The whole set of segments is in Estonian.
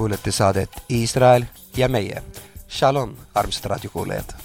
kuulete saadet Iisrael ja meie. Shalom, armsad raadiokuulajad!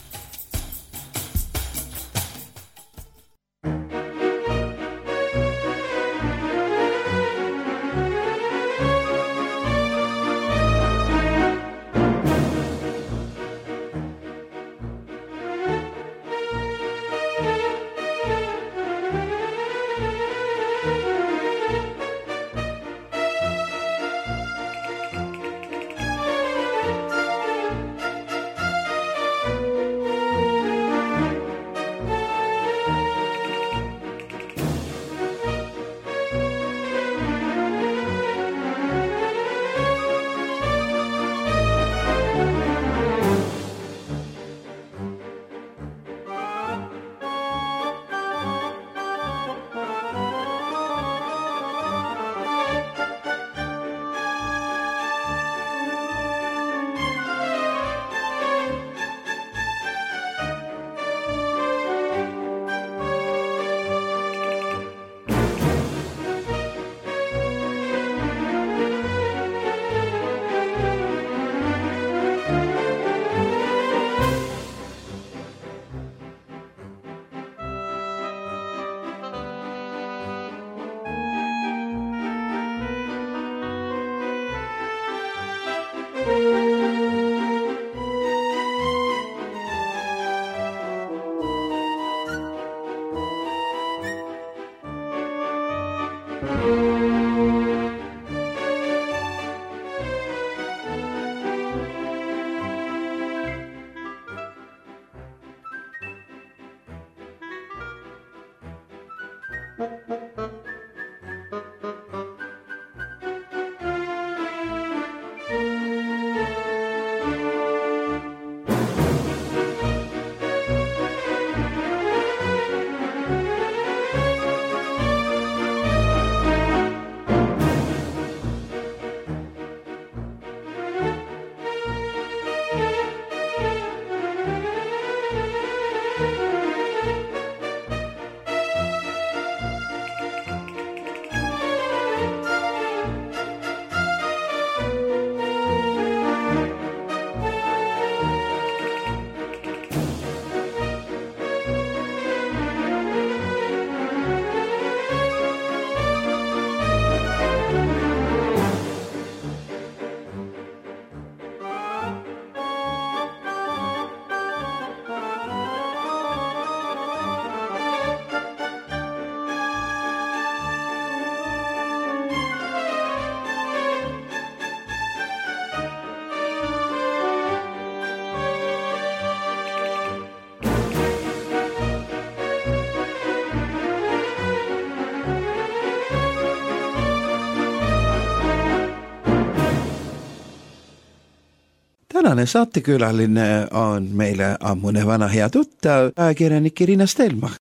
Tänane saatekülaline on meile ammune vana hea tuttav ajakirjanik Irina Stelmach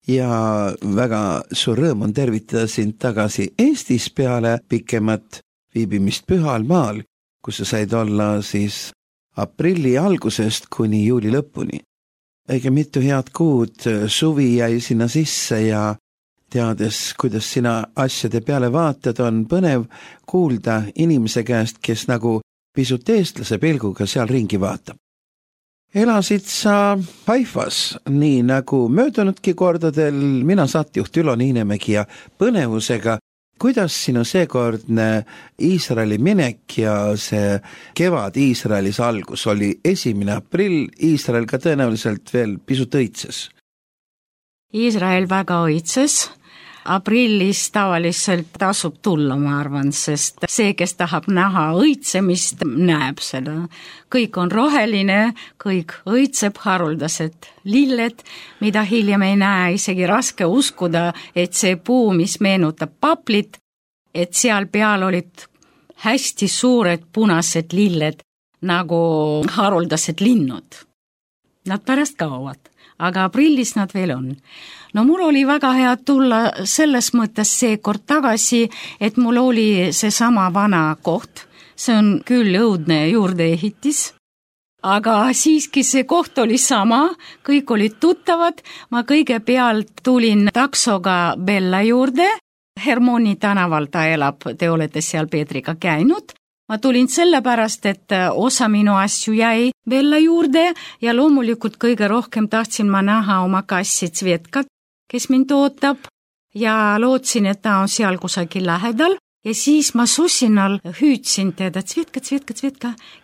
ja väga suur rõõm on tervitada sind tagasi Eestis peale pikemat viibimist Pühal maal, kus sa said olla siis aprilli algusest kuni juuli lõpuni. Õige mitu head kuud suvi jäi sinna sisse ja teades, kuidas sina asjade peale vaatad, on põnev kuulda inimese käest, kes nagu pisut eestlase pilguga seal ringi vaatab. Elasid sa Haifas, nii nagu möödunudki kordadel, mina saatejuht Ülo Niinemägi ja põnevusega, kuidas sinu seekordne Iisraeli minek ja see kevad Iisraelis algus oli 1. aprill, Iisrael ka tõenäoliselt veel pisut õitses? Iisrael väga õitses. Aprillis tavaliselt tasub tulla, ma arvan, sest see, kes tahab näha õitsemist, näeb seda. Kõik on roheline, kõik õitseb, haruldased lilled, mida hiljem ei näe, isegi raske uskuda, et see puu, mis meenutab paplit, et seal peal olid hästi suured punased lilled, nagu haruldased linnud. Nad pärast kaovad, aga aprillis nad veel on. No mul oli väga hea tulla selles mõttes seekord tagasi, et mul oli see sama vana koht. See on küll õudne juurdeehitis, aga siiski see koht oli sama, kõik olid tuttavad. Ma kõigepealt tulin taksoga Bella juurde. Hermoni tänaval ta elab, te olete seal Peetriga käinud. ma tulin sellepärast, et osa minu asju jäi Bella juurde ja loomulikult kõige rohkem tahtsin ma näha oma kassi Tsvetkat, kes mind ootab ja lootsin, et ta on seal kusagil lähedal ja siis ma susinal hüüdsin teda Tsvetka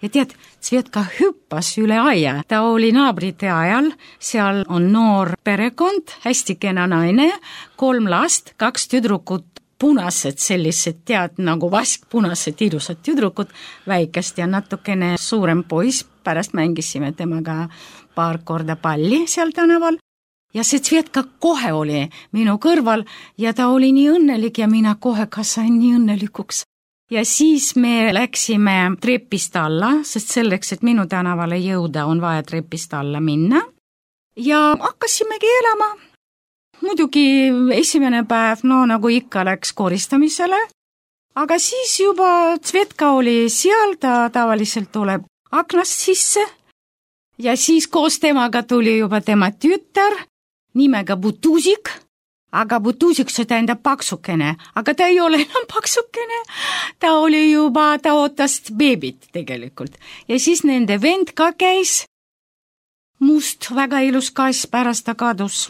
ja tead, Tsvetka hüppas üle aia. Ta oli naabrite ajal, seal on noor perekond, hästi kena naine, 3 last, 2 tüdrukut, punased sellised, tead, nagu vaskpunased ilusad tüdrukud, väikest ja natukene suurem poiss, pärast mängisime temaga paar korda palli seal tänaval. Ja see Tsvetka kohe oli minu kõrval ja ta oli nii õnnelik ja mina kohe ka sain nii õnnelikuks. Ja siis me läksime trepist alla, sest selleks, et minu tänavale jõuda, on vaja trepist alla minna. Ja hakkasimegi elama. Muidugi esimene päev, nagu ikka läks koristamisele, aga siis juba Tsvetka oli seal, ta tavaliselt tuleb aknast sisse ja siis koos temaga tuli juba tema tütar nimega Butuzik, aga Butuzik see tähendab paksukene, aga ta ei ole enam paksukene, ta ootas beebit tegelikult ja siis nende vend ka käis, must, väga ilus kass, pärast ta kadus.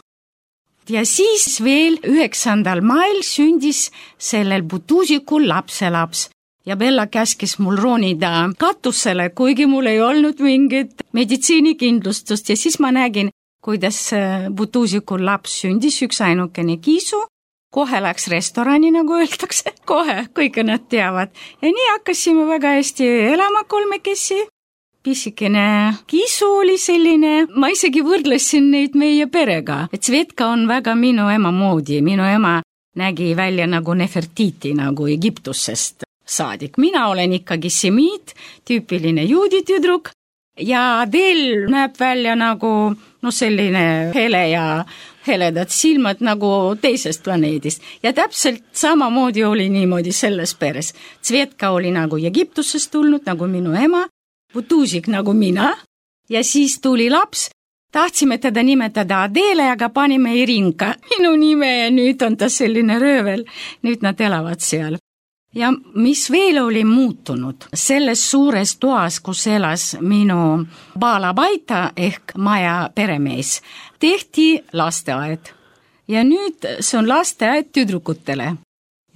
Ja siis veel 9. mail sündis sellel Butuzikul lapselaps ja Bella käskis mul ronida katusele, kuigi mul ei olnud mingit meditsiinikindlustust ja siis ma nägin, kuidas Butuzikul laps sündis, üks ainukene kiisu, kohe läks restorani, nagu öeldakse, kohe, kõike nad teavad ja nii hakkasime väga hästi elama kolmekesi. Pisikene kiisu oli selline, ma isegi võrdlesin neid meie perega, et Tsvetka on väga minu ema moodi, minu ema nägi välja nagu Nefertiti, nagu Egiptusest saadik. Mina olen ikkagi semiit, tüüpiline juudi tüdruk ja Adel näeb välja nagu selline hele ja heledad silmad nagu teisest planeedist ja täpselt samamoodi oli niimoodi selles peres. Tsvetka oli nagu Egiptusest tulnud, nagu minu ema, Butuzik nagu mina ja siis tuli laps, tahtsime teda nimetada Adele, aga panime Irinka minu nime ja nüüd on ta selline röövel, nüüd nad elavad seal. Ja mis veel oli muutunud, selles suures toas, kus elas minu baalabaita ehk maja peremees, tehti lasteaed ja nüüd see on lasteaed tüdrukutele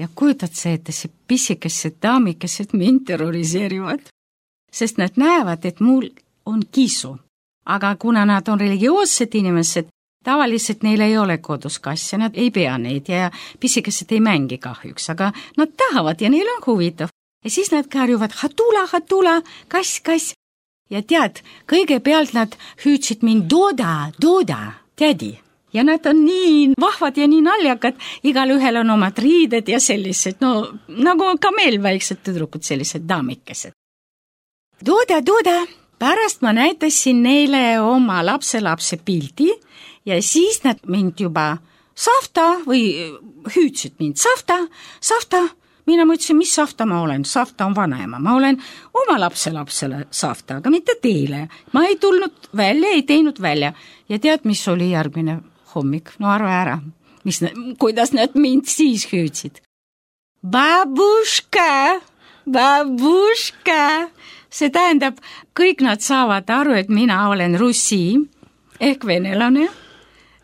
ja kujutad see, et see pisikesed daamikesed mind terroriseerivad. Sest nad näevad, et mul on kiisu. Aga kuna nad on religioossed inimesed, tavaliselt neil ei ole kodus kasse, nad ei pea neid ja pisikesed ei mängi kahjuks, aga nad tahavad ja neil on huvitav. Ja siis nad karjuvad, hatula, kass. Ja tead, kõigepealt nad hüüdsid mind Doda, tädi. Ja nad on nii vahvad ja nii naljakad, igal ühel on omad riided ja sellised, nagu ka meil väiksed tüdrukud, sellised daamikesed. Doda, pärast ma näitasin neile oma lapselapse pildi ja siis nad mind juba Savta või hüüdsid mind Savta. Mina mõtlesin, mis Savta ma olen, Savta on vanaema, ma olen oma lapselapsele Savta, aga mitte teile. Ma ei tulnud välja, ei teinud välja ja tead, mis oli järgmine hommik, arva ära, kuidas nad mind siis hüüdsid. Babuška. See tähendab, kõik nad saavad aru, et mina olen russi ehk venelane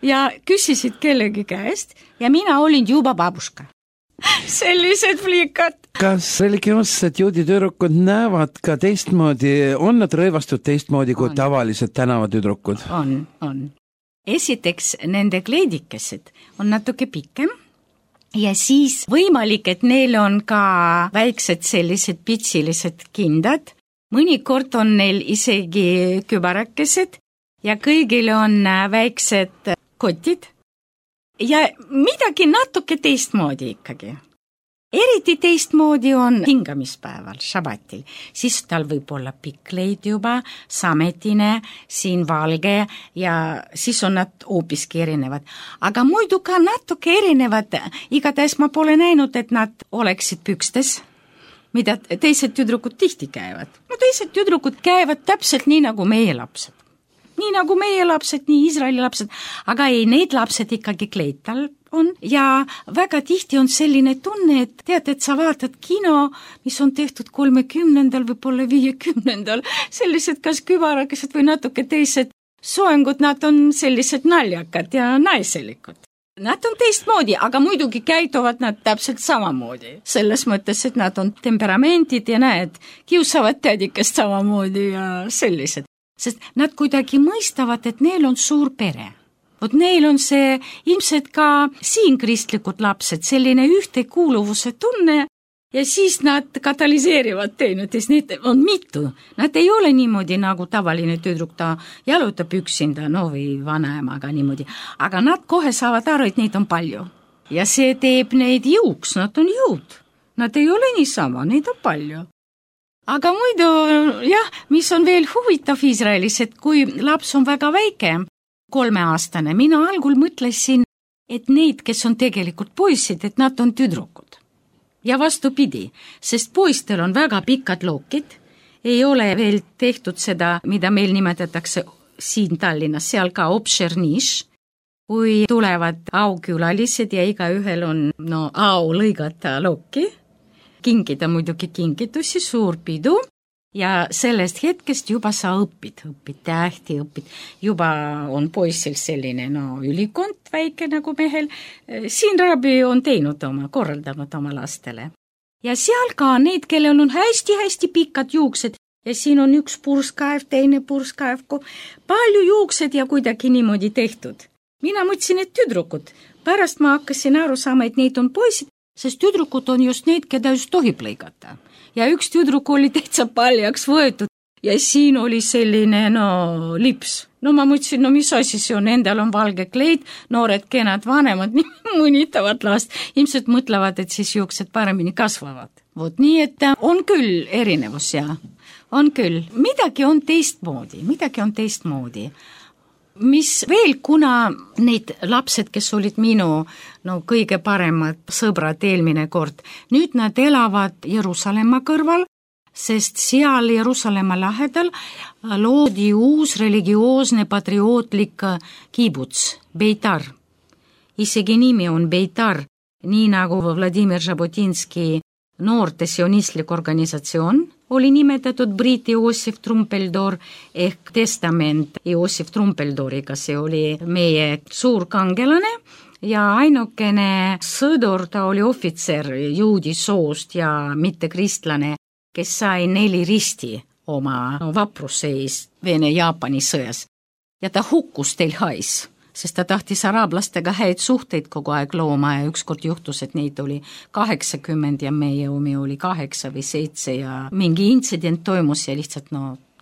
ja küsisid kellegi käest ja mina olin juba babuška. Sellised flikad. Kas religioossed juudi tüdrukud näevad ka teistmoodi, on nad rõivastud teistmoodi kui tavalised tänavatüdrukud? On. Esiteks, nende kleidikesed on natuke pikem ja siis võimalik, et neil on ka väiksed sellised pitsilised kindad. Mõnikord on neil isegi kübarakesed ja kõigil on väiksed kotid ja midagi natuke teistmoodi ikkagi. Eriti teistmoodi on hingamispäeval, šabatil. Siis tal võib olla pikk leid juba, sametine, siin valge ja siis on nad hoopiski erinevad. Aga muidu ka natuke erinevad, igatahes ma pole näinud, et nad oleksid pükstes, mida teised tüdrukud tihti käivad. Teised tüdrukud käivad täpselt nii nagu meie lapsed. Nii nagu meie lapsed, nii Iisraeli lapsed, aga ei, need lapsed ikkagi kleid tal on ja väga tihti on selline tunne, et tead, et sa vaatad kino, mis on tehtud 30. võib-olla 50. sellised kas kübarakesed või natuke teised soengud, nad on sellised naljakad ja naiselikud. Nad on teistmoodi, aga muidugi käituvad nad täpselt samamoodi. Selles mõttes, et nad on temperamentid ja näed, kiusavad tädikest samamoodi ja sellised. Sest nad kuidagi mõistavad, et neil on suur pere. Vot neil on see ilmselt ka siin kristlikud lapsed, selline ühtekuuluvuse tunne ja siis nad katalüseerivad teineteist, neid on mitu. Nad ei ole niimoodi nagu tavaline tüdruk, ta jalutab üksinda, no või vanaemaga niimoodi. Aga nad kohe saavad aru, et neid on palju. Ja see teeb neid jõuks, nad on jõud. Nad ei ole niisama, neid on palju. Aga muidu, jah, mis on veel huvitav Iisraelis, et kui laps on väga väike, 3-aastane, mina algul mõtlesin, et neid, kes on tegelikult poisid, et nad on tüdrukud. Ja vastupidi, sest poistel on väga pikad lookid, ei ole veel tehtud seda, mida meil nimetatakse siin Tallinnas, seal ka obšerniš, kui tulevad aukülalised ja igaühel on au lõigata looki, kinkida muidugi kinkitusi, suur pidu ja sellest hetkest juba sa õpid tähti, juba on poissil selline ülikond väike nagu mehel. Siin Rabbi on korraldanud oma lastele. Ja seal ka neid, kellel on hästi-hästi pikad juuksed ja siin on üks purskaev, teine purskaev, palju juuksed ja kuidagi niimoodi tehtud. Mina mõtlesin, et tüdrukud. Pärast ma hakkasin aru saama, et neid on poisid, sest tüdrukud on just need, keda just tohib lõigata. Ja üks tüdruk oli täitsa paljaks võetud ja siin oli selline lips. Ma mõtlesin, mis asi see on, endal on valge kleid, noored kenad vanemad mõnitavad last, ilmselt mõtlevad, et siis juuksed paremini kasvavad. Vot nii, et on küll erinevus ja on küll. Midagi on teistmoodi. Mis veel, kuna neid lapsed, kes olid minu kõige paremad sõbrad eelmine kord, nüüd nad elavad Jeruusalemma kõrval, sest seal Jeruusalemma lähedal loodi uus religioosne patriootlik kibuts, Beitar. Isegi nimi on Beitar, nii nagu Vladimir Žabotinski noorte sionistlik organisatsioon oli nimetatud Brit Joosif Trumpeldor ehk testament Joosif Trumpeldoriga, see oli meie suur kangelane ja ainukene sõdur, ta oli ohvitser juudi soost ja mitte kristlane, kes sai 4 risti oma vapruse eest Vene-Jaapani sõjas. Ja ta hukkus Telhais, sest ta tahtis araablastega häid suhteid kogu aeg looma ja ükskord juhtus, et neid oli 80 ja meie omi oli 8 või 7 ja mingi intsident toimus ja lihtsalt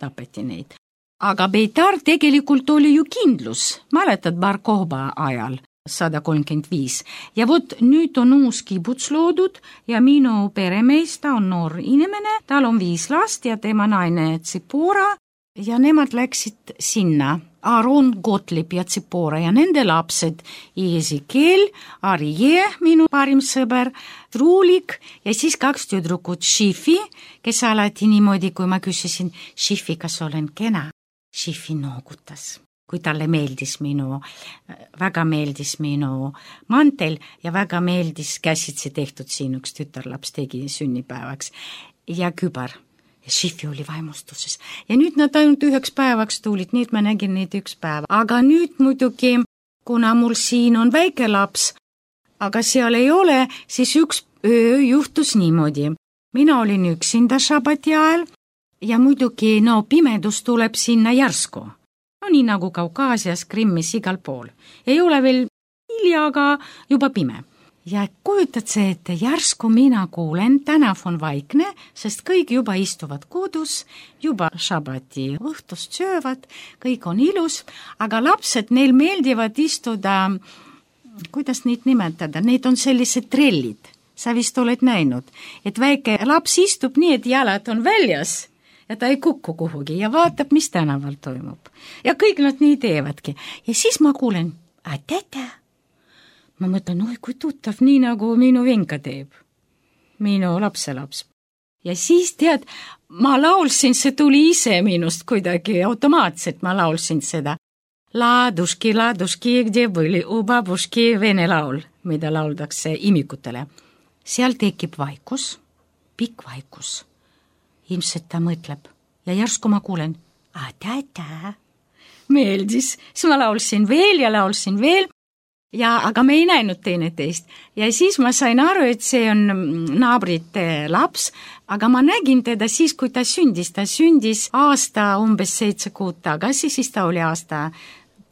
tapeti neid. Aga Beitar tegelikult oli ju kindlus, mäletad Bar Kokhba ajal 135 ja vot nüüd on uus kibuts loodud ja minu peremees, ta on noor inimene, tal on 5 last ja tema naine Tsipora ja nemad läksid sinna. Aaron Gottlieb ja Tsipora ja nende lapsed Ezekiel, Arje, minu parim sõber, Truulik ja siis 2 tüdrukut Šifi, kes alati niimoodi, kui ma küsisin, Šifi, kas olen kena? Šifi noogutas, kui talle väga meeldis minu mantel ja väga meeldis käsitsi tehtud siin üks tütarlaps tegi sünnipäevaks ja kübar. Ja Šifi oli vaimustuses. Ja nüüd nad ainult 1 päevaks tulid, nüüd ma nägin neid 1 päev. Aga nüüd muidugi, kuna mul siin on väike laps, aga seal ei ole, siis 1 öö juhtus niimoodi. Mina olin üksinda šabati ajal ja muidugi pimedus tuleb sinna järsku. Nii nagu Kaukaasias, Krimmis, igal pool. Ei ole veel hilja, aga juba pime. Ja kujutad see, et järsku mina kuulen, tänav on vaikne, sest kõik juba istuvad kodus, juba šabati õhtust söövad, kõik on ilus, aga lapsed, neil meeldivad istuda, kuidas neid nimetada, neid on sellised trellid, sa vist oled näinud, et väike laps istub nii, et jalad on väljas ja ta ei kukku kuhugi ja vaatab, mis tänaval toimub. Ja kõik nad nii teevadki. Ja siis ma kuulen, tätä. Ma mõtlen, kui tuttav, nii nagu minu venka teeb, minu lapselaps. Ja siis tead, ma laulsin, see tuli ise minust kuidagi automaatselt, ma laulsin seda. Laduški, kde были u babuški, vene laul. mida lauldakse imikutele. Seal tekib vaikus, pikk vaikus. Ilmselt ta mõtleb ja järsku ma kuulen, meeldis, siis ma laulsin veel ja aga me ei näinud teineteist. Ja siis ma sain aru, et see on naabrite laps, aga ma nägin teda siis, kui ta sündis aasta umbes 7 kuud tagasi, siis ta oli aasta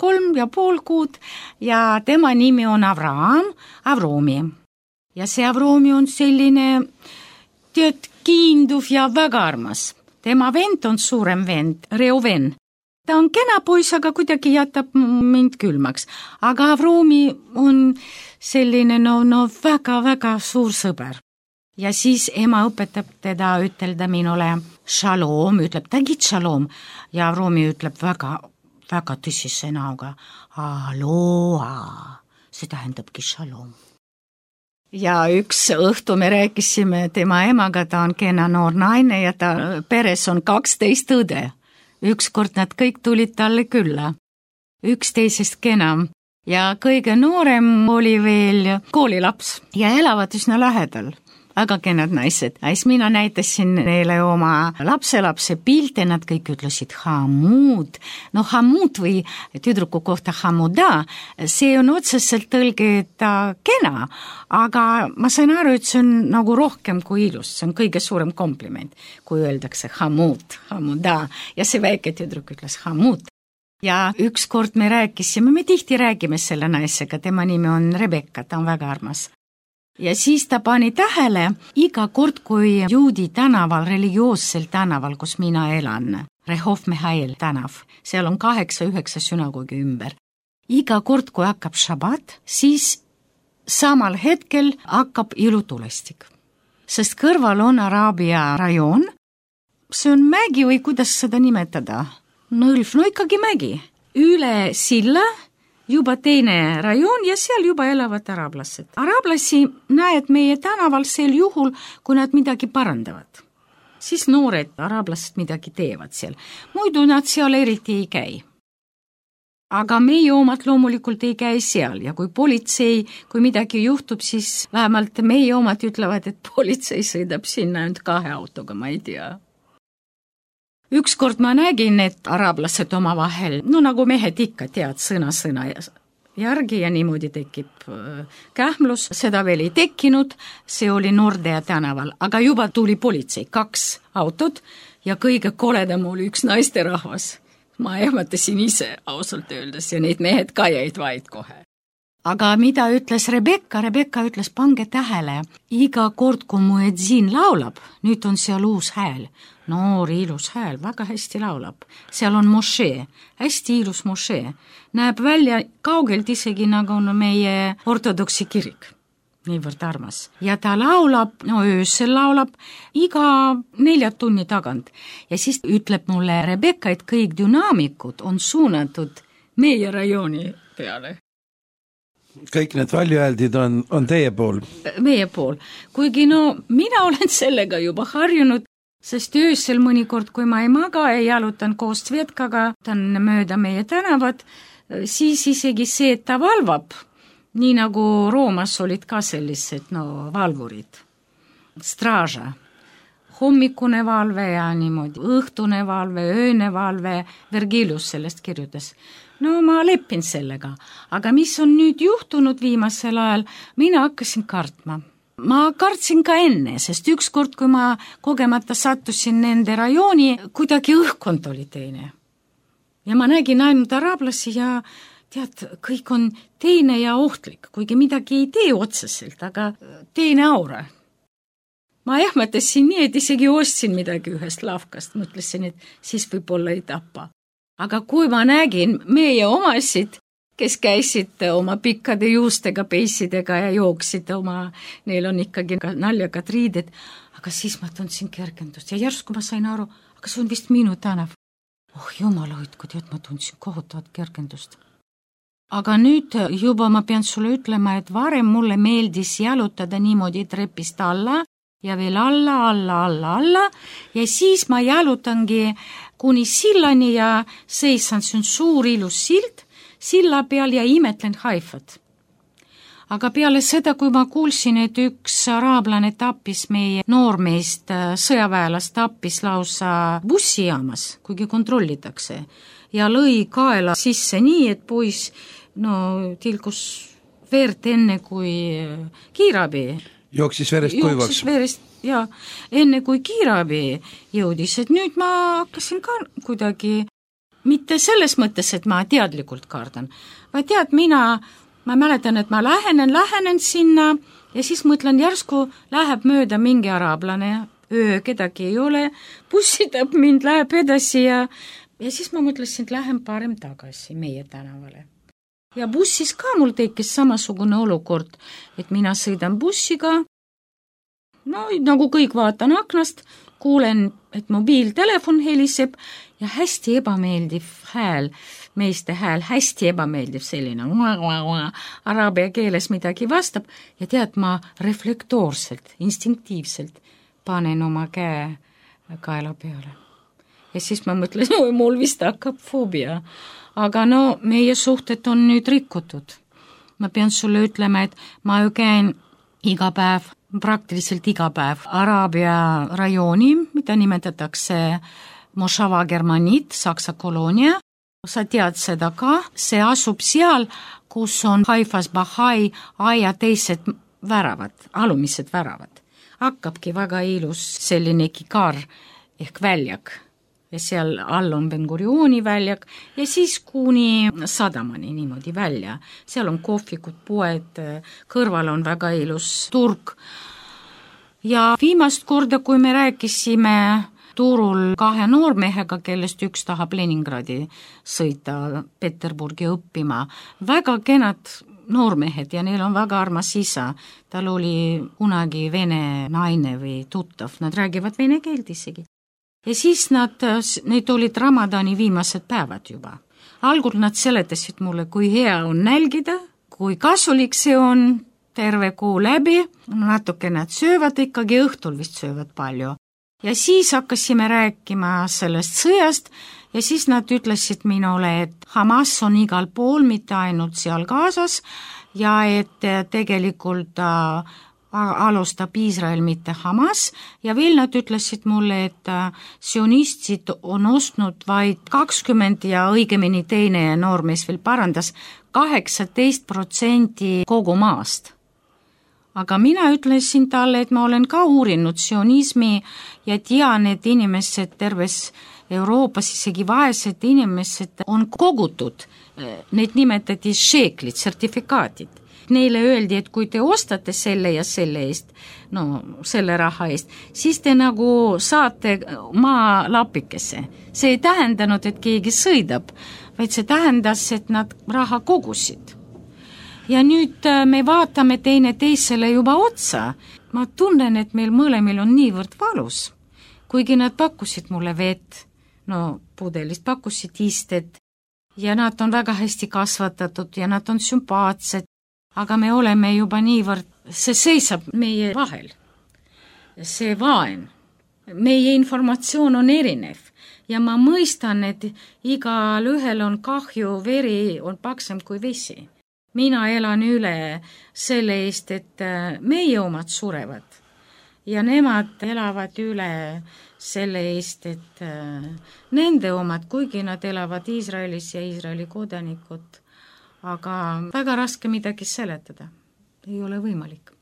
3,5 kuud ja tema nimi on Avromi. Ja see Avromi on selline kiinduv ja väga armas. Tema vend on suurem vend, Reuven. Ta on kena poiss, aga kuidagi jätab mind külmaks. Aga Avromi on selline väga-väga suur sõber. Ja siis ema õpetab teda ütelda minule shalom, ütleb tagid shalom. Ja Avromi ütleb väga tõsise näoga aloha, see tähendabki shalom. Ja üks õhtu me rääkisime tema emaga, ta on kena noor naine ja ta peres on 12 õde. Ükskord nad kõik tulid talle külla, 11 kenam ja kõige noorem oli veel koolilaps ja elavad üsna lähedal, väga kenad naised. Siis mina näitasin neile oma lapselapse pilte, nad kõik ütlesid Hamud. No Hamud või tüdruku kohta Hamuda, see on otseselt tõlgeda kena, aga ma sain aru, et see on nagu rohkem kui ilus, see on kõige suurem kompliment, kui öeldakse Hamud, Hamuda ja see väike tüdruk ütles Hamud. Ja ükskord me rääkisime, me tihti räägime selle naisega, tema nimi on Rebecca, ta on väga armas. Ja siis ta pani tähele iga kord, kui juudi tänaval, religioossel tänaval, kus mina elan, Rehov Mihail tänav, seal on 8-9 sünagoogi ümber. Iga kord, kui hakkab šabat, siis samal hetkel hakkab ilutulestik. Sest kõrval on Araabia rajoon, see on mägi või kuidas seda nimetada? Nõlv, ikkagi mägi. Üle silla juba teine rajoon ja seal juba elavad araablased. Araablasi näed meie tänaval sel juhul, kui nad midagi parandavad. Siis noored araablased midagi teevad seal. Muidu nad seal eriti ei käi. Aga meie omad loomulikult ei käi seal ja kui politsei, kui midagi juhtub, siis vähemalt meie omad ütlevad, et politsei sõidab sinna ainult 2 autoga, ma ei tea. Ükskord ma nägin, et araablased oma vahel, nagu mehed ikka tead, sõna järgi ja niimoodi tekib kähmlus, seda veel ei tekkinud, see oli Nordea tänaval, aga juba tuli politsei, 2 autot ja kõige koledam oli üks naisterahvas. Ma ehmatasin ise ausalt öeldes ja neid mehed ka jäid vaid kohe. Aga mida ütles Rebecca ütles, pange tähele, iga kord, kui muedzin laulab, nüüd on seal uus hääl, noor ilus hääl, väga hästi laulab. Seal on mošee, hästi ilus mošee. Näeb välja kaugelt isegi nagu on meie ortodoksi kirik. Niivõrd armas. Ja ta laulab, öösel laulab iga 4 tunni tagant. Ja siis ütleb mulle Rebecca, et kõik dünaamikud on suunatud meie rajooni peale. Kõik need valjuhääldid on teie pool? Meie pool. Kuigi mina olen sellega juba harjunud, sest öösel mõnikord, kui ma ei maga, ei jalutan koos Svetkaga, ta on mööda meie tänavad, siis isegi see, et ta valvab, nii nagu Roomas olid ka sellised valvurid. Straža. Hommikune valve ja niimoodi, õhtune valve, ööne valve, Vergilius sellest kirjutas. Ma leppin sellega, aga mis on nüüd juhtunud viimasel ajal, mina hakkasin kartma. Ma kartsin ka enne, sest ükskord, kui ma kogemata sattusin nende rajooni, kuidagi õhkkond oli teine. Ja ma nägin ainult araablasi ja tead, kõik on teine ja ohtlik, kuigi midagi ei tee otseselt, aga teine aura. Ma ehmatasin nii, et isegi ostsin midagi ühest lavkast, mõtlesin, et siis võib-olla ei tapa. Aga kui ma nägin meie omasid, kes käisid oma pikkade juustega, peissidega ja jooksid neil on ikkagi naljakad riided, aga siis ma tundsin kergendust ja järsku ma sain aru, aga see on vist minu tänav. Jumala hoidku, tead, ma tundsin kohutavat kergendust. Aga nüüd juba ma pean sulle ütlema, et varem mulle meeldis jalutada niimoodi trepist alla ja veel alla ja siis ma jalutangi kuni sillani ja seisan, see on suur ilus sild, silla peal ja imetlen Haifat. aga peale seda, kui ma kuulsin, et üks araablane tappis meie noormeest, sõjaväelast tappis lausa bussijaamas, kuigi kontrollitakse, ja lõi kaela sisse nii, et poiss tilkus verd enne kui kiirabi. Jooksis verest kuivaks. Jooksis verest, ja enne kui kiirabi jõudis, et nüüd ma hakkasin ka kuidagi, mitte selles mõttes, et ma teadlikult kardan, vaid ma mäletan, et ma lähenen sinna ja siis mõtlen, järsku läheb mööda mingi araablane, kedagi ei ole, bussitab mind, läheb edasi ja siis ma mõtlesin, et lähen parem tagasi meie tänavale. Ja bussis ka mul tekkis samasugune olukord, et mina sõidan bussiga, nagu kõik vaatan aknast, kuulen, et mobiiltelefon heliseb ja hästi ebameeldiv hääl, meeste hääl, hästi ebameeldiv selline, araabia keeles midagi vastab ja tead, ma reflektoorselt, instinktiivselt panen oma käe kaela peale. Ja siis ma mõtlen, mul vist hakkab foobia. Aga meie suhted on nüüd rikutud. Ma pean sulle ütlema, et ma ju käin praktiliselt iga päev Araabia rajooni, mida nimetatakse Mošava Germanit, Saksa koloonia. Sa tead seda ka, see asub seal, kus on Haifas Bahai aia teised väravad, alumised väravad. Hakkabki väga ilus selline kikar ehk väljak. Ja seal all on Ben-Gurioni väljak ja siis kuni sadamani niimoodi välja. Seal on kohvikud, poed, kõrval on väga ilus turg. Ja viimast korda, kui me rääkisime turul 2 noormehega, kellest üks tahab Leningradi sõita Peterburgi õppima, väga kenad noormehed ja neil on väga armas isa. Tal oli kunagi vene naine või tuttav, nad räägivad vene keelt isegi. Ja siis need olid Ramadani viimased päevad juba. Algul nad seletasid mulle, kui hea on nälgida, kui kasulik see on terve kuu läbi, natuke nad söövad ikkagi, õhtul vist söövad palju. Ja siis hakkasime rääkima sellest sõjast ja siis nad ütlesid minule, et Hamas on igal pool, mitte ainult seal Gazas ja et tegelikult alustab Iisrael, mitte Hamas ja veel nad ütlesid mulle, et sionistid on ostnud vaid 20 ja õigemini teine noormees veel parandas 18% kogu maast. Aga mina ütlesin talle, et ma olen ka uurinud sionismi ja tean, et inimesed terves Euroopas, isegi vaesed inimesed on kogutud, need nimetati šeeklid, sertifikaatid. Neile öeldi, et kui te ostate selle ja selle eest, selle raha eest, siis te nagu saate maa lapikese. See ei tähendanud, et keegi sõidab, vaid see tähendas, et nad raha kogusid. Ja nüüd me vaatame teine teisele juba otsa. Ma tunnen, et meil mõlemil on niivõrd valus. Kuigi nad pakkusid mulle vett, pudelist pakkusid isted ja nad on väga hästi kasvatatud ja nad on sümpaatsed. Aga me oleme juba niivõrd, see seisab meie vahel. See vaen. Meie informatsioon on erinev ja ma mõistan, et igal ühel on kahju, veri on paksem kui vesi. Mina elan üle selle eest, et meie omad surevad ja nemad elavad üle selle eest, et nende omad, kuigi nad elavad Iisraelis ja Iisraeli kodanikud, aga väga raske midagi seletada. Ei ole võimalik.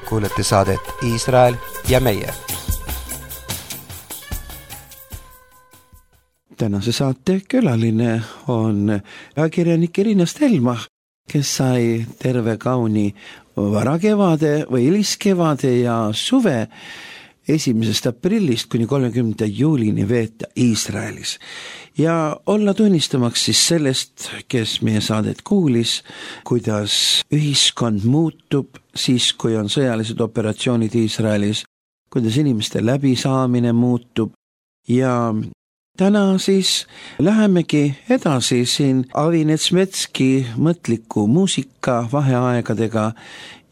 Kuulete saadet Iisrael ja meie. Tänase saate külaline on ajakirjanik Irina Stelmach, kes sai terve kauni varakevade või hiliskevade ja suve 1. aprillist kuni 30. juulini veeta Iisraelis ja olla tunnistamaks siis sellest, kes meie saadet kuulis, kuidas ühiskond muutub siis, kui on sõjalised operatsioonid Iisraelis, kuidas inimeste läbisaamine muutub ja täna siis lähemegi edasi siin Avi Netsmetski mõtliku muusika vaheaegadega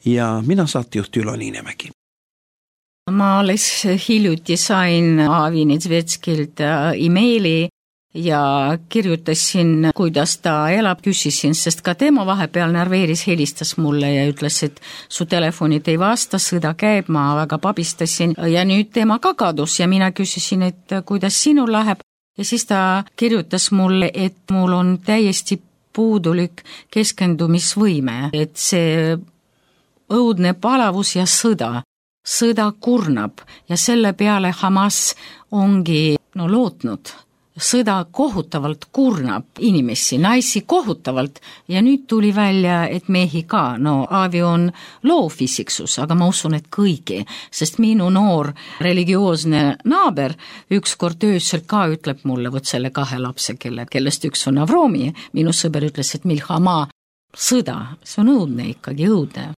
ja mina saatejuht Ülo Niinemägi. Ma alles hiljuti sain Avi Netsmetskilt emaili ja kirjutasin, kuidas ta elab, küsisin, sest ka tema vahepeal närveeris, helistas mulle ja ütles, et su telefonid ei vasta, sõda käib, ma väga pabistasin ja nüüd tema ka kadus ja mina küsisin, et kuidas sinul läheb ja siis ta kirjutas mulle, et mul on täiesti puudulik keskendumisvõime, et see õudne palavus ja sõda kurnab ja selle peale Hamas ongi lootnud. Sõda kohutavalt kurnab inimesi, naisi kohutavalt ja nüüd tuli välja, et mehi ka. Avi on loofisiksus, aga ma usun, et kõigi, sest minu noor religioosne naaber ükskord öösel ka ütleb mulle, võt selle 2 lapse, kellest üks on Avromi, minu sõber ütles, et Milhama sõda, see on õudne ikkagi, õudne.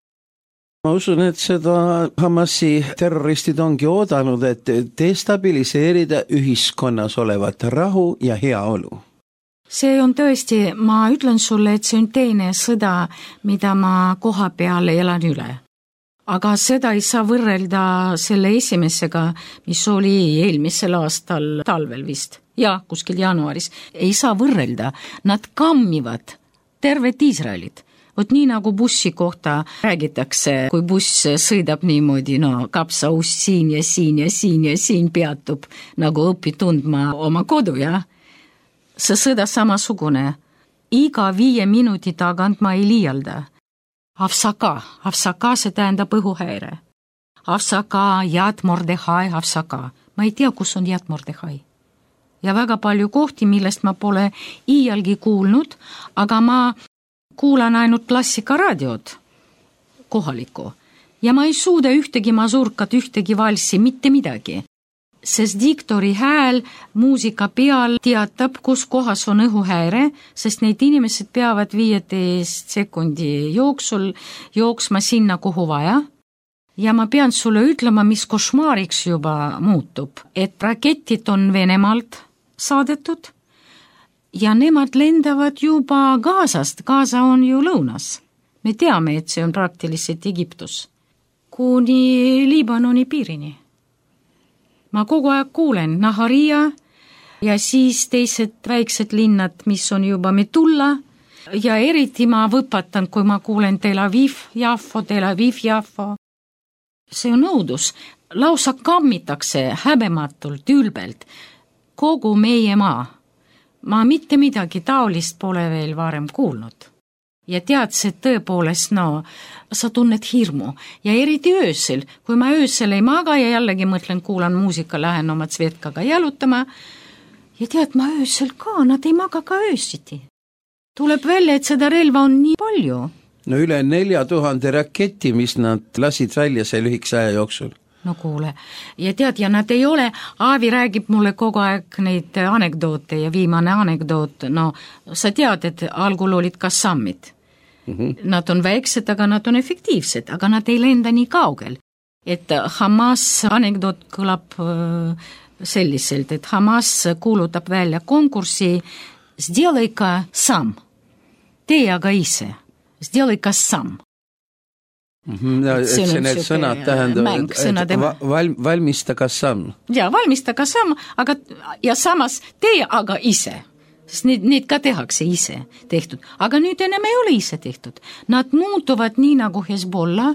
Ma usun, et seda Hamasi terroristid ongi oodanud, et destabiliseerida ühiskonnas olevat rahu ja heaolu. See on tõesti, ma ütlen sulle, et see on teine sõda, mida ma koha peal elan üle. Aga seda ei saa võrrelda selle esimesega, mis oli eelmisel aastal talvel vist. Ja, kuskil jaanuaris. Ei saa võrrelda. Nad kammivad tervet Iisraelit. Vot nii nagu bussi kohta räägitakse, kui buss sõidab niimoodi, kapsaus siin ja siin ja siin ja siin peatub, nagu õpi tundma oma kodu, ja? See sõda samasugune. Iga 5 minuti tagant ma ei liialda. Avsaka, see tähendab õhuhäire. Avsaka, Yad Mordechai, avsaka. Ma ei tea, kus on Yad Mordechai. Ja väga palju kohti, millest ma pole iialgi kuulnud, aga ma kuulan ainult klassikaraadiot kohalikku ja ma ei suuda ühtegi masurkat, ühtegi valssi, mitte midagi. Sest diktori hääl muusika peal teatab, kus kohas on õhuhäire, sest neid inimesed peavad 15 sekundi jooksul jooksma sinna, kuhu vaja. Ja ma pean sulle ütlema, mis košmaariks juba muutub, et raketid on Venemaalt saadetud ja nemad lendavad juba Gazast, Gaza on ju lõunas. Me teame, et see on praktiliselt Egiptus. Kuni Liibanoni piirini. Ma kogu aeg kuulen Naharia ja siis teised väiksed linnad, mis on juba Metulla ja eriti ma võpatan, kui ma kuulen Tel Aviv, Jaffo. See on õudus. Lausa kammitakse häbematult, ülbelt. Kogu meie maa. Ma mitte midagi taolist pole veel varem kuulnud. Ja tead, see tõepoolest, sa tunned hirmu. Ja eriti öösel, kui ma öösel ei maga ja jällegi mõtlen, kuulan muusika, lähen oma Svetkaga jalutama. Ja tead, ma öösel ka, nad ei maga ka öösiti. Tuleb välja, et seda relva on nii palju. No üle 4000 raketi, mis nad lasid välja see lühikese aja jooksul. No kuule, ja tead, ja nad ei ole, Aavi räägib mulle kogu aeg neid anekdoote ja viimane anekdoot, sa tead, et algul olid Kassamid. Nad on väiksed, aga nad on efektiivsed, aga nad ei lenda nii kaugel. Et Hamas anekdoot kõlab selliselt, et Hamas kuulutab välja konkursi Сделай-ка сам. Tee aga ise. Сделай-ка сам. See need sõnad tähendavad, valmista ka samm. Ja, valmista ka samm, ja samas tee aga ise. Sest neid ka tehakse ise tehtud. Aga nüüd enam ei ole ise tehtud. Nad muutuvad nii nagu Hezbollah,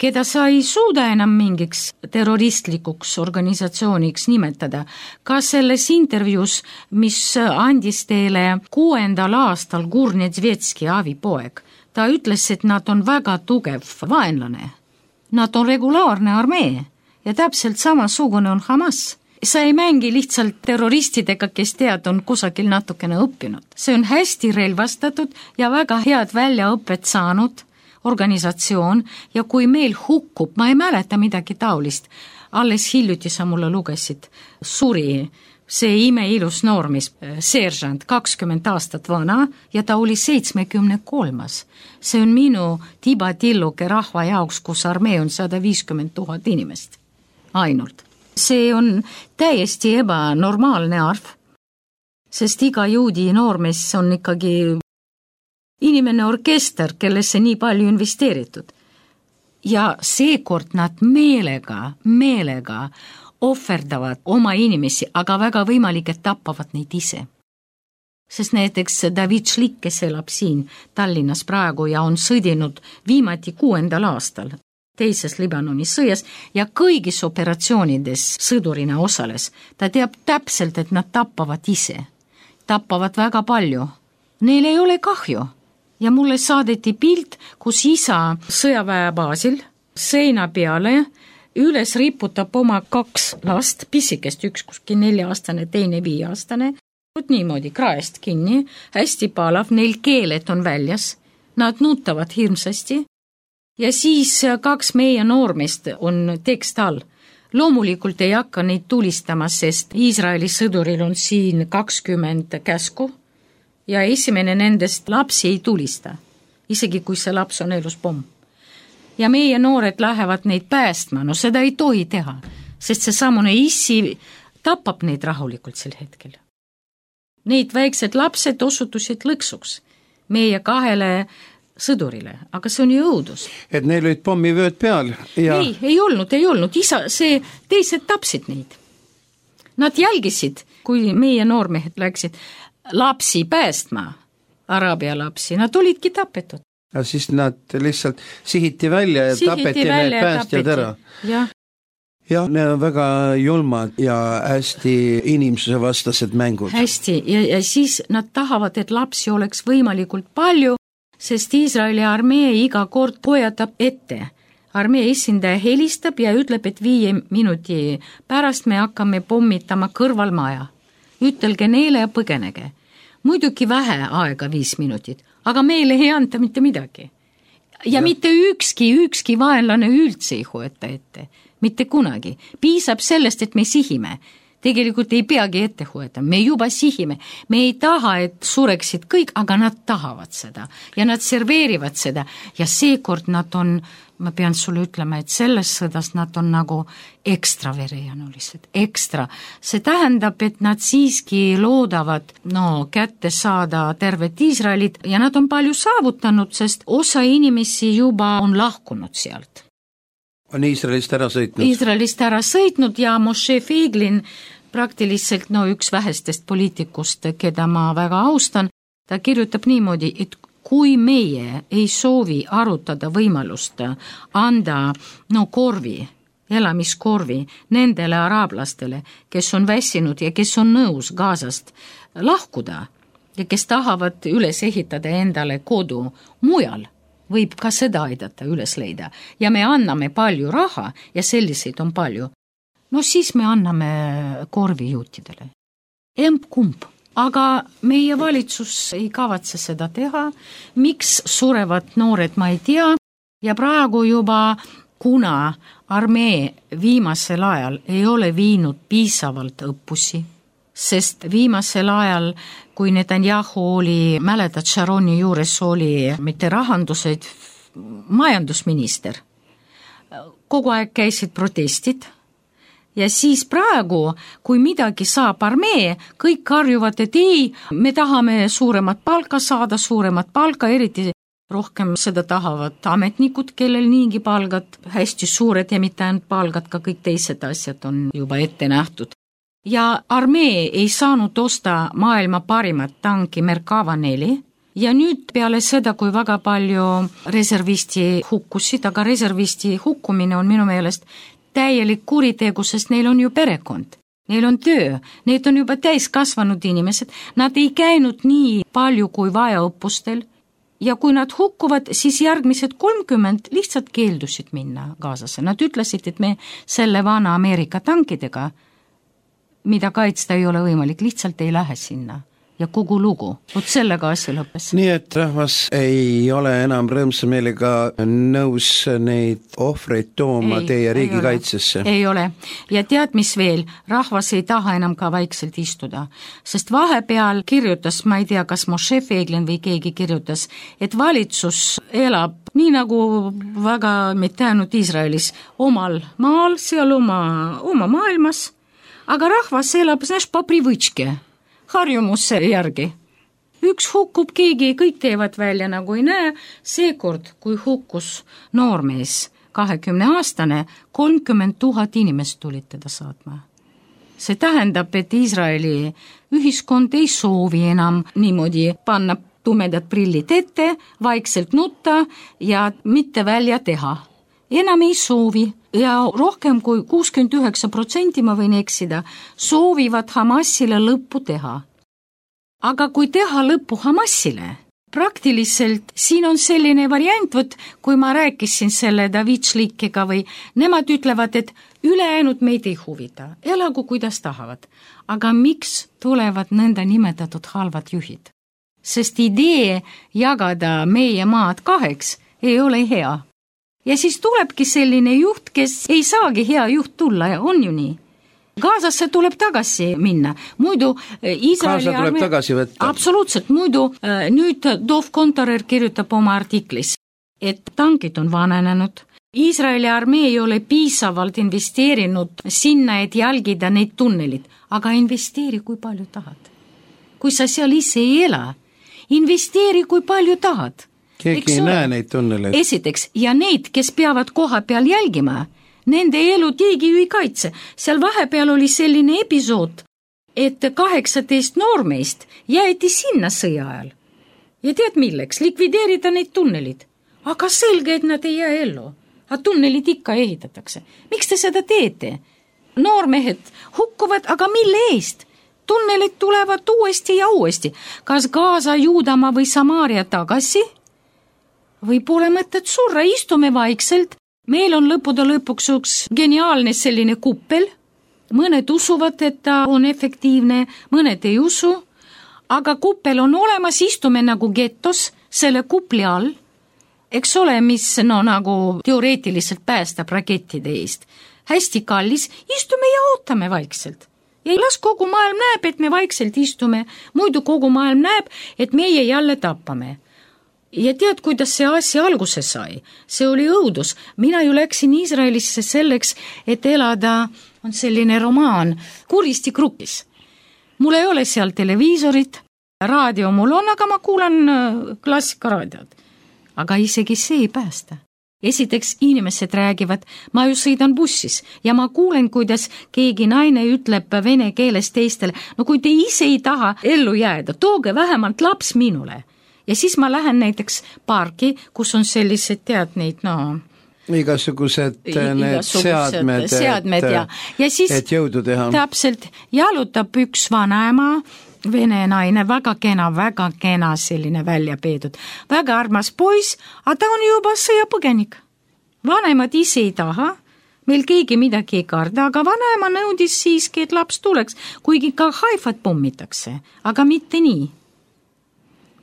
keda sa ei suuda enam mingiks terroristlikuks organisatsiooniks nimetada. Ka selles intervjuus, mis andis teile 6. aastal Gurnetsvetski avipoeg, ta ütles, et nad on väga tugev vaenlane. Nad on regulaarne armee ja täpselt samasugune on Hamas. Sa ei mängi lihtsalt terroristidega, kes tead, on kusagil natukene õppinud. See on hästi relvastatud ja väga head väljaõpet saanud organisatsioon ja kui meil hukkub, ma ei mäleta midagi taolist, alles hiljuti sa mulle lugesid, suri see imeilus noormis, seeržant, 20 aastat vana ja ta oli 73. See on minu tibatilluke rahva jaoks, kus armee on 150 000 inimest. Ainult. See on täiesti ebanormaalne arv, sest iga juudi noormes on ikkagi inimene orkester, kellesse nii palju investeeritud. Ja seekord nad meelega ohverdavad oma inimesi, aga väga võimalik, et tappavad neid ise. Sest näiteks David Šlik, kes elab siin Tallinnas praegu ja on sõdinud viimati 6. aastal teises Liibanoni sõjas ja kõigis operatsioonides sõdurina osales. Ta teab täpselt, et nad tappavad ise. Tappavad väga palju. Neil ei ole kahju. Ja mulle saadeti pilt, kus isa sõjaväebaasil seina peale üles riputab oma 2 last, pisikest, üks kuskil 4-aastane, teine 5-aastane, niimoodi kraest kinni, hästi palav, neil keeled on väljas, nad nutavad hirmsasti ja siis 2 meie noormest on tekst all. Loomulikult ei hakka neid tulistama, sest Iisraeli sõduril on siin 20 käsku ja esimene nendest lapsi ei tulista, isegi kui see laps on elus pomm. Ja meie noored lähevad neid päästma, seda ei tohi teha, sest see samune issi tapab neid rahulikult sel hetkel. Neid väiksed lapsed osutusid lõksuks meie 2 sõdurile, aga see on ju õudus. Et neil olid pommivööd peal? Ja... Ei olnud. Teised tapsid neid. Nad jälgisid, kui meie noormehed läksid lapsi päästma, araabia lapsi, nad olidki tapetud. Ja siis nad lihtsalt sihiti välja ja tapeti need päästjad ära. Ja need on väga julmad ja hästi inimsuse vastased mängud. Hästi, ja siis nad tahavad, et lapsi oleks võimalikult palju, sest Iisraeli armee iga kord hoiatab ette. Armee esindaja helistab ja ütleb, et 5 minuti pärast me hakkame pommitama kõrvalmaja. Ütelge neile ja põgenege. Muidugi vähe aega 5 minutit, aga meile ei anta mitte midagi. Ja mitte ükski vaenlane üldse ei hoeta ette. Mitte kunagi. Piisab sellest, et me sihime. Tegelikult ei peagi ette hoida, me juba sihime, me ei taha, et sureksid kõik, aga nad tahavad seda ja nad serveerivad seda ja seekord nad on, ma pean sulle ütlema, et selles sõdas nad on nagu ekstra verejanulised, ekstra. See tähendab, et nad siiski loodavad kätte saada tervet Iisraelit ja nad on palju saavutanud, sest osa inimesi juba on lahkunud sealt. On Iisraelist ära sõitnud? Iisraelist ära sõitnud ja Moshe Feiglin praktiliselt üks vähestest poliitikust, keda ma väga austan, ta kirjutab niimoodi, et kui meie ei soovi arutada võimalust anda korvi, elamiskorvi nendele araablastele, kes on väsinud ja kes on nõus Gazast lahkuda ja kes tahavad üles ehitada endale kodu mujal, võib ka seda aidata üles leida ja me anname palju raha ja selliseid on palju. Siis me anname korvijuutidele. Emb-kumb. Aga meie valitsus ei kavatse seda teha. Miks surevad noored, ma ei tea. Ja praegu juba, kuna armee viimasel ajal ei ole viinud piisavalt õppusi, sest viimasel ajal, kui Netanyahu oli, mäletad, Sharoni juures oli mitte rahandused, majandusminister, kogu aeg käisid protestid. Ja siis praegu, kui midagi saab armee, kõik karjuvad, et ei, me tahame suuremat palka, eriti rohkem seda tahavad ametnikud, kellel niigi palgad hästi suured ja mitte ainult palgad, ka kõik teised asjad on juba ette nähtud. Ja armee ei saanud osta maailma parimat tanki Merkava 4 ja nüüd peale seda, kui väga palju reservisti hukkusid, aga reservisti hukkumine on minu meelest täielik kuritegu, sest neil on ju perekond, neil on töö, need on juba täiskasvanud inimesed, nad ei käinud nii palju kui vaja õppustel ja kui nad hukkuvad, siis järgmised 30 lihtsalt keeldusid minna Gazasse. Nad ütlesid, et me selle vana Ameerika tankidega, mida kaitsta ei ole võimalik, lihtsalt ei lähe sinna. Ja kogu lugu. Sellega asja lõppes. Nii et rahvas ei ole enam rõõmsa meelega nõus neid ohvreid tooma teie riigi kaitsesse. Ei ole. Ja tead, mis veel? Rahvas ei taha enam ka vaikselt istuda. Sest vahepeal kirjutas, ma ei tea, kas Moshe Feiglin või keegi kirjutas, et valitsus elab nii nagu väga mitte ainult Iisraelis omal maal, seal oma maailmas, aga rahvas elab, po privõtške. Harjumusse järgi. Üks hukkub keegi, kõik teevad välja nagu ei näe. Seekord, kui hukkus noormees, 20-aastane, 30 000 inimest tulid teda saatma. See tähendab, et Iisraeli ühiskond ei soovi enam niimoodi panna tumedad prillid ette, vaikselt nutta ja mitte välja teha. Enam ei soovi ja rohkem kui 69%, ma võin eksida, soovivad Hamasile lõppu teha. Aga kui teha lõppu Hamasile, praktiliselt siin on selline variant, kui ma rääkisin selle David Šlikiga või nemad ütlevad, et ülejäänud meid ei huvita, elagu kuidas tahavad. Aga miks tulevad nõnda nimetatud halvad juhid? Sest idee jagada meie maad 2 ei ole hea. Ja siis tulebki selline juht, kes ei saagi hea juht tulla ja on ju nii. Gazasse tuleb tagasi minna. Muidu Iisraeli Gaza tuleb tagasi võtta. Absoluutselt. Muidu nüüd Dov Kontorer kirjutab oma artiklis, et tankid on vananenud. Iisraeli armee ei ole piisavalt investeerinud sinna, et jälgida neid tunnelid. Aga investeeri, kui palju tahad. Kui sa seal ise ei ela, investeeri, kui palju tahad. Keegi ei näe neid tunneleid. Esiteks, ja neid, kes peavad koha peal jälgima, nende elu keegi ju ei kaitse. Seal vahepeal oli selline episood, et 18 noormeist jäeti sinna sõja ajal. Ja tead milleks? Likvideerida neid tunnelid. Aga selge, et nad ei jää ellu. Aga tunnelid ikka ehitatakse. Miks te seda teete? Noormehed hukkuvad, aga mille eest? Tunnelid tulevad uuesti ja uuesti. Kas Gaza, Juudamaa või Samaaria tagasi? Või pole mõtet surra, istume vaikselt. Meil on lõppude lõpuks üks geniaalne selline kuppel. Mõned usuvad, et ta on efektiivne, mõned ei usu. Aga kuppel on olemas, istume nagu getos selle kupli all. Eks ole, mis nagu teoreetiliselt päästab rakettide eest. Hästi kallis, istume ja ootame vaikselt. Ja las kogu maailm näeb, et me vaikselt istume, muidu kogu maailm näeb, et meie jälle tappame. Ja tead, kuidas see asja alguse sai? See oli õudus. Mina ju läksin Iisraelisse selleks, et elada, on selline romaan, Kuristikrupis. Mul ei ole seal televiisorit, raadio mul on, aga ma kuulan klassikaraadiot. Aga isegi see ei päästa. Esiteks inimesed räägivad, ma ju sõidan bussis ja ma kuulen, kuidas keegi naine ütleb vene keeles teistele, no kui te ise ei taha ellu jääda, tooge vähemalt laps minule. Ja siis ma lähen näiteks parki, kus on sellised, tead neid, igasugused need seadmed, ja siis et jõudu teha. Täpselt jalutab üks vanaema, vene naine, väga kena selline välja peedud, väga armas poiss, aga ta on juba sõjapõgenik. Vanemad ise ei taha, meil keegi midagi ei karda, aga vanaema nõudis siiski, et laps tuleks, kuigi ka Haifat pommitakse, aga mitte nii.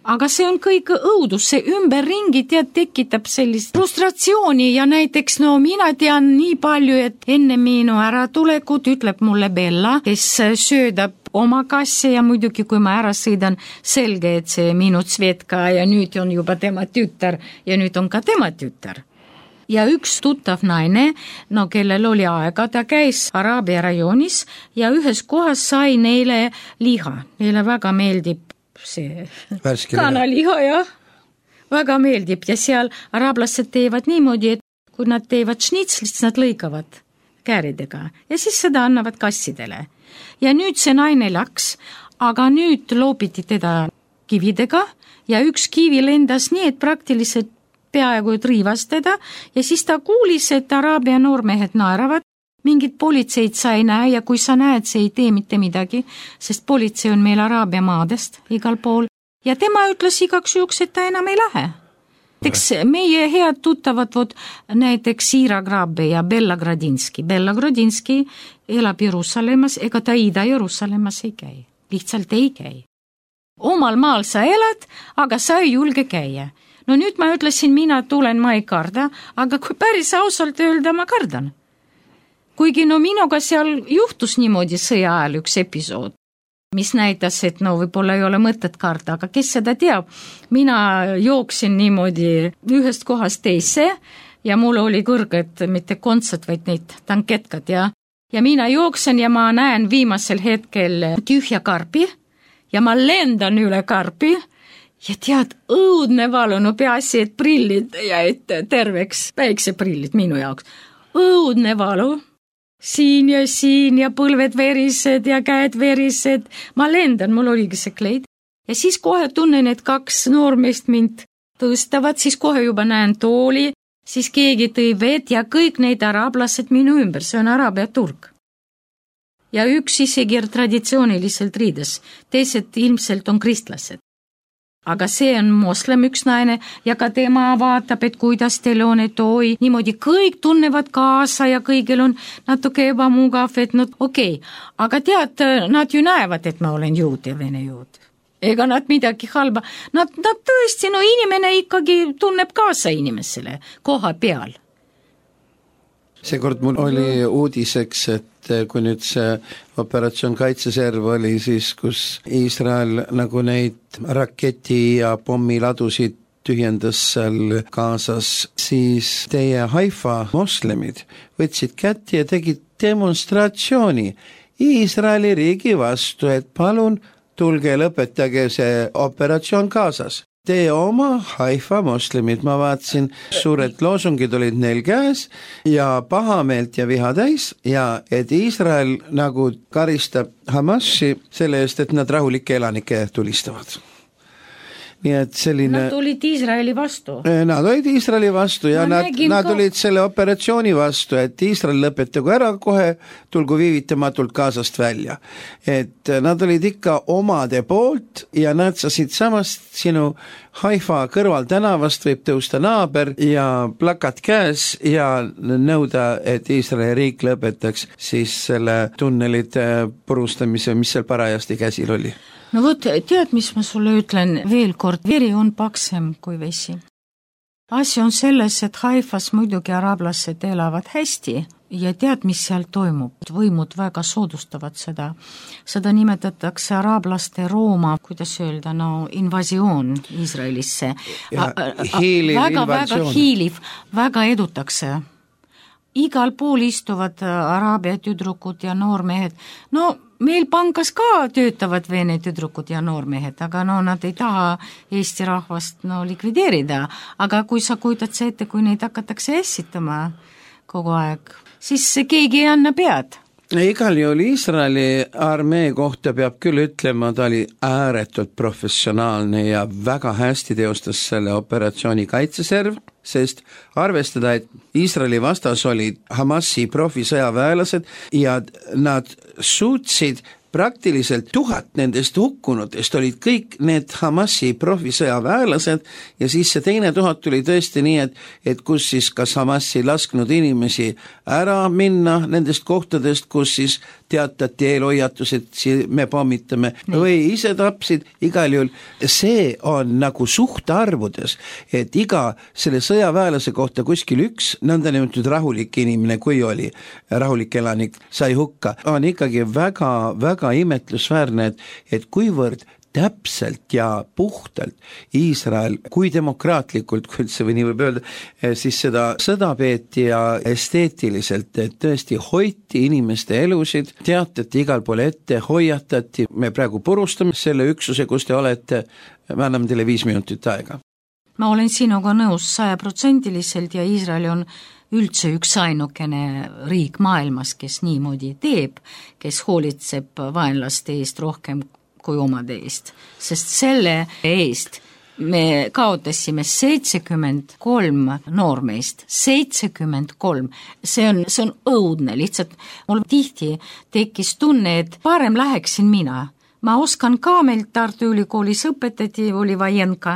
Aga see on kõik õudus, see ümberringi tekitab sellist frustratsiooni ja näiteks mina tean nii palju, et enne minu äratulekut ütleb mulle Bella, kes söödab oma kassi ja muidugi kui ma ära sõidan, selge, et see minu Tsvetka ja nüüd on juba tema tütar ja nüüd on ka tema tütar. Ja üks tuttav naine, kellel oli aega, ta käis Araabia rajoonis ja ühes kohas sai neile liha, neile väga meeldib see kanaliha ja väga meeldib ja seal araablased teevad niimoodi, et kui nad teevad šnitslit, siis nad lõikavad kääridega ja siis seda annavad kassidele. Ja nüüd see naine läks, aga nüüd loopiti teda kividega ja üks kivi lendas nii, et praktiliselt peaaegu riivas teda ja siis ta kuulis, et Araabia noormehed naeravad, mingid politseid sa ei näe ja kui sa näed, see ei tee mitte midagi, sest politsei on meil Araabia maadest igal pool. Ja tema ütles igaks juhuks, et ta enam ei lähe. Näiteks meie head tuttavad näiteks Ira Grabbe ja Bella Gradinski. Bella Gradinski elab Jeruusalemmas, ega ta Ida-Jeruusalemmas ei käi. Lihtsalt ei käi. Omal maal sa elad, aga sa ei julge käia. No nüüd ma ütlesin, mina tulen, ma ei karda, aga kui päris ausalt öelda, ma kardan. Kuigi minuga seal juhtus niimoodi sõja ajal üks episood, mis näitas, et võib-olla ei ole mõtet karda, aga kes seda teab, mina jooksin niimoodi ühest kohast teise ja mul oli kõrged, mitte kontsad, vaid neid tanketkad ja mina jooksen ja ma näen viimasel hetkel tühja karpi ja ma lendan üle karpi ja tead, õudne valu, peaasi, et prillid jäid terveks, päikseprillid minu jaoks, õudne valu. Siin ja põlved verised ja käed verised. Ma lendan, mul oligi see kleid. Ja siis kohe tunnen, et kaks noormeest mind tõstavad, siis kohe juba näen tooli, siis keegi tõi vett ja kõik neid araablased minu ümber, see on Araabia turg. Ja üks isegi traditsiooniliselt riides, teised ilmselt on kristlased. Aga see on moslem üks naine ja ka tema vaatab, et kuidas teil on, et oi, niimoodi kõik tunnevad kaasa ja kõigil on natuke ebamugav, et okei. Aga tead, nad ju näevad, et ma olen juud ja vene juud. Ega nad midagi halba. Nad tõesti, inimene ikkagi tunneb kaasa inimesele koha peal. Seekord mul oli uudiseks, et kui nüüd see operatsioon Kaitseserv oli siis, kus Iisrael nagu neid raketi ja pommiladusid tühjendas seal Gazas, siis teie Haifa moslemid võtsid kätti ja tegid demonstratsiooni Iisraeli riigi vastu, et palun tulge lõpetage see operatsioon Gazas. Teie oma Haifa moslemid, ma vaatasin, suured loosungid olid neil käes ja pahameelt ja viha täis ja et Iisrael nagu karistab Hamasi selle eest, et nad rahulikke elanikke tulistavad. Nii et selline... Nad olid Iisraeli vastu. Nad olid Iisraeli vastu ja nad olid selle operatsiooni vastu, et Iisrael lõpetagu ära kohe, tulgu viivitamatult Gazast välja. Et nad olid ikka omade poolt ja nad said samast sinu Haifa kõrval tänavast võib tõusta naaber ja plakat käes ja nõuda, et Iisraeli riik lõpetaks siis selle tunnelite purustamise, mis seal parajasti käsil oli. No tead, mis ma sulle ütlen veel kord, veri on paksem kui vesi. asi on selles, et Haifas muidugi araablased elavad hästi ja tead, mis seal toimub. Võimud väga soodustavad seda. Seda nimetatakse araablaste Rooma, kuidas öelda, invasioon Iisraelisse. Väga hiiliv, väga edutakse. Igal pool istuvad araabia tüdrukud ja noormehed. Meil pangas ka töötavad vene tüdrukud ja noormehed, aga nad ei taha Eesti rahvast likvideerida. Aga kui sa kujutad see ette, kui neid hakatakse ässitama kogu aeg, siis keegi ei anna pead. Igal juhul Iisraeli armee kohta peab küll ütlema, ta oli ääretult professionaalne ja väga hästi teostas selle operatsiooni kaitseserv, sest arvestada, et Iisraeli vastas olid Hamasi profisõjaväelased ja nad suutsid praktiliselt 1000 nendest hukkunutest olid kõik need Hamasi profisõjaväelased ja siis see teine 1000 tuli tõesti nii, et kus siis kas Hamasi lasknud inimesi ära minna nendest kohtadest, kus siis teatati eelhoiatus, et me pommitame või ise tapsid, igal juhul see on nagu suhtarvudes, et iga selle sõjaväelase kohta kuskil üks nõndanimetatud rahulik inimene, kui oli rahulik elanik, sai hukka, on ikkagi väga imetlusväärne, et kuivõrd täpselt ja puhtalt Iisrael, kui demokraatlikult, kui üldse või nii võib öelda, siis seda sõda peeti ja esteetiliselt, et tõesti hoiti inimeste elusid, teatati igal pool ette, hoiatati, me praegu purustame selle üksuse, kus te olete, me anname teile 5 minutit aega. Ma olen sinuga nõus 100% ja Iisrael on üldse üks ainukene riik maailmas, kes niimoodi teeb, kes hoolitseb vaenlaste eest rohkem kui omade eest, sest selle eest me kaotasime 73 noormeest, 73, see on õudne, lihtsalt mul tihti tekkis tunne, et parem läheksin mina. Ma oskan ka, meil Tartu Ülikoolis õpetati, oli Vajenka,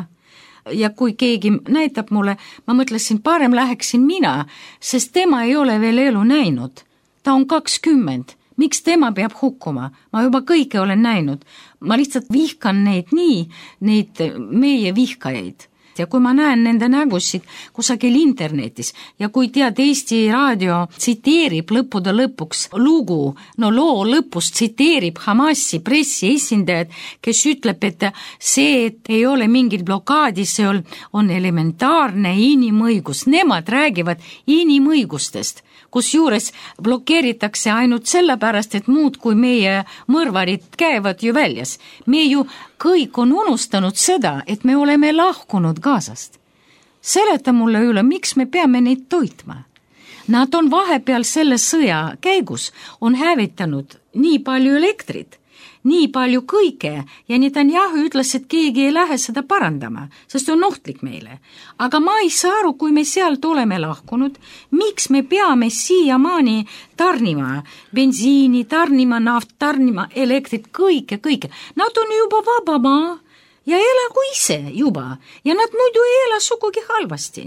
ja kui keegi näitab mulle, ma mõtlesin, parem läheksin mina, sest tema ei ole veel elu näinud. Ta on 20. Miks tema peab hukkuma? Ma juba kõike olen näinud. Ma lihtsalt vihkan neid meie vihkajaid. Ja kui ma näen nende nägusid kusagil internetis ja kui tead, Eesti Raadio tsiteerib lõppude lõpuks loo lõpus tsiteerib Hamasi pressiesindajad, kes ütleb, et see, et ei ole mingit blokaadi, see on elementaarne inimõigus. Nemad räägivad inimõigustest, kusjuures blokeeritakse ainult sellepärast, et muud kui meie mõrvarid käivad ju väljas. Me ju kõik on unustanud seda, et me oleme lahkunud Gazast. Seleta mulle üle, miks me peame neid toitma. Nad on vahepeal selle sõja käigus on hävitanud nii palju elektrit, nii palju kõike ja Netanyahu ütles, et keegi ei lähe seda parandama, sest on ohtlik meile. Aga ma ei saa aru, kui me sealt oleme lahkunud, miks me peame siiamaani tarnima bensiini, tarnima naft, tarnima elektrit, kõike. Nad on juba vaba maa ja elagu ise juba ja nad muidu ei ela sugugi halvasti.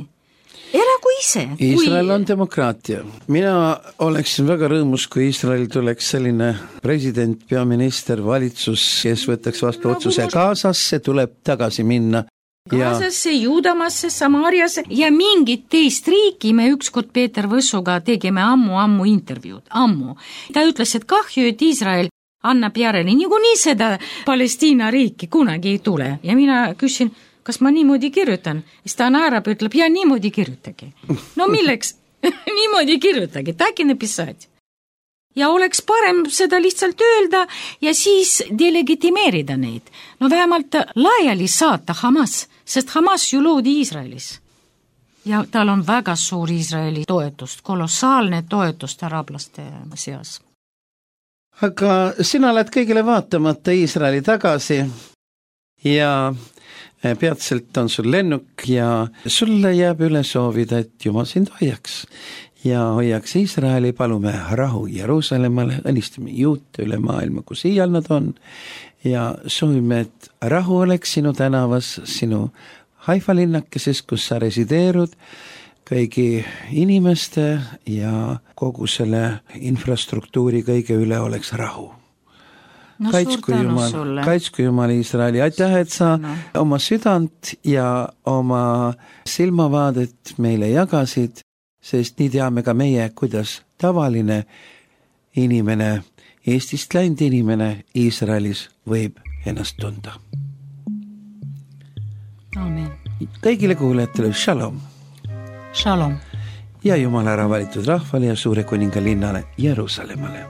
Elagu ise. Iisrael on demokraatia. Mina oleksin väga rõõmus, kui Iisrael tuleks selline president, peaminister, valitsus, kes võtaks vastu otsuse Gazasse, tuleb tagasi minna. Gazasse, Juudamasse, Samariasse ja mingit teist riiki me ükskord Peeter Võssuga tegime ammu intervjuud. Ta ütles, et kahju, et Iisrael annab järele, niikuinii seda Palestiina riiki kunagi ei tule. Ja mina küsin, kas ma niimoodi kirjutan? Siis ta naerab, ütleb, ja niimoodi kirjutagi. No milleks? Niimoodi kirjutagi, так и написать. Ja oleks parem seda lihtsalt öelda ja siis delegitimeerida neid. No vähemalt laiali saata Hamas, sest Hamas ju loodi Iisraelis. Ja tal on väga suur Iisraeli toetust, kolossaalne toetust araablaste seas. Aga sina oled kõigile vaatamata Iisraeli tagasi ja peatselt on sul lennuk ja sulle jääb üle soovida, et Jumal sind hoiaks ja hoiaks Iisraeli, palume rahu Jeruusalemmale, õnnistame juute üle maailma, kus iial nad on ja soovime, et rahu oleks sinu tänavas, sinu Haifa linnakeses, kus sa resideerud, kõigi inimeste ja kogu selle infrastruktuuri kõige üle oleks rahu. No, kaitsku Jumal Iisraeli, aitäh, et sa oma südant ja oma silmavaadet meile jagasid, sest nii teame ka meie, kuidas tavaline inimene, Eestist läinud inimene Iisraelis võib ennast tunda. Amen. Kõigile kuulajatele shalom. Shalom. Ja Jumala ära valitud rahvale ja suure kuninga linnale Jeruusalemmale.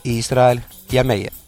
Iisrael ja meie.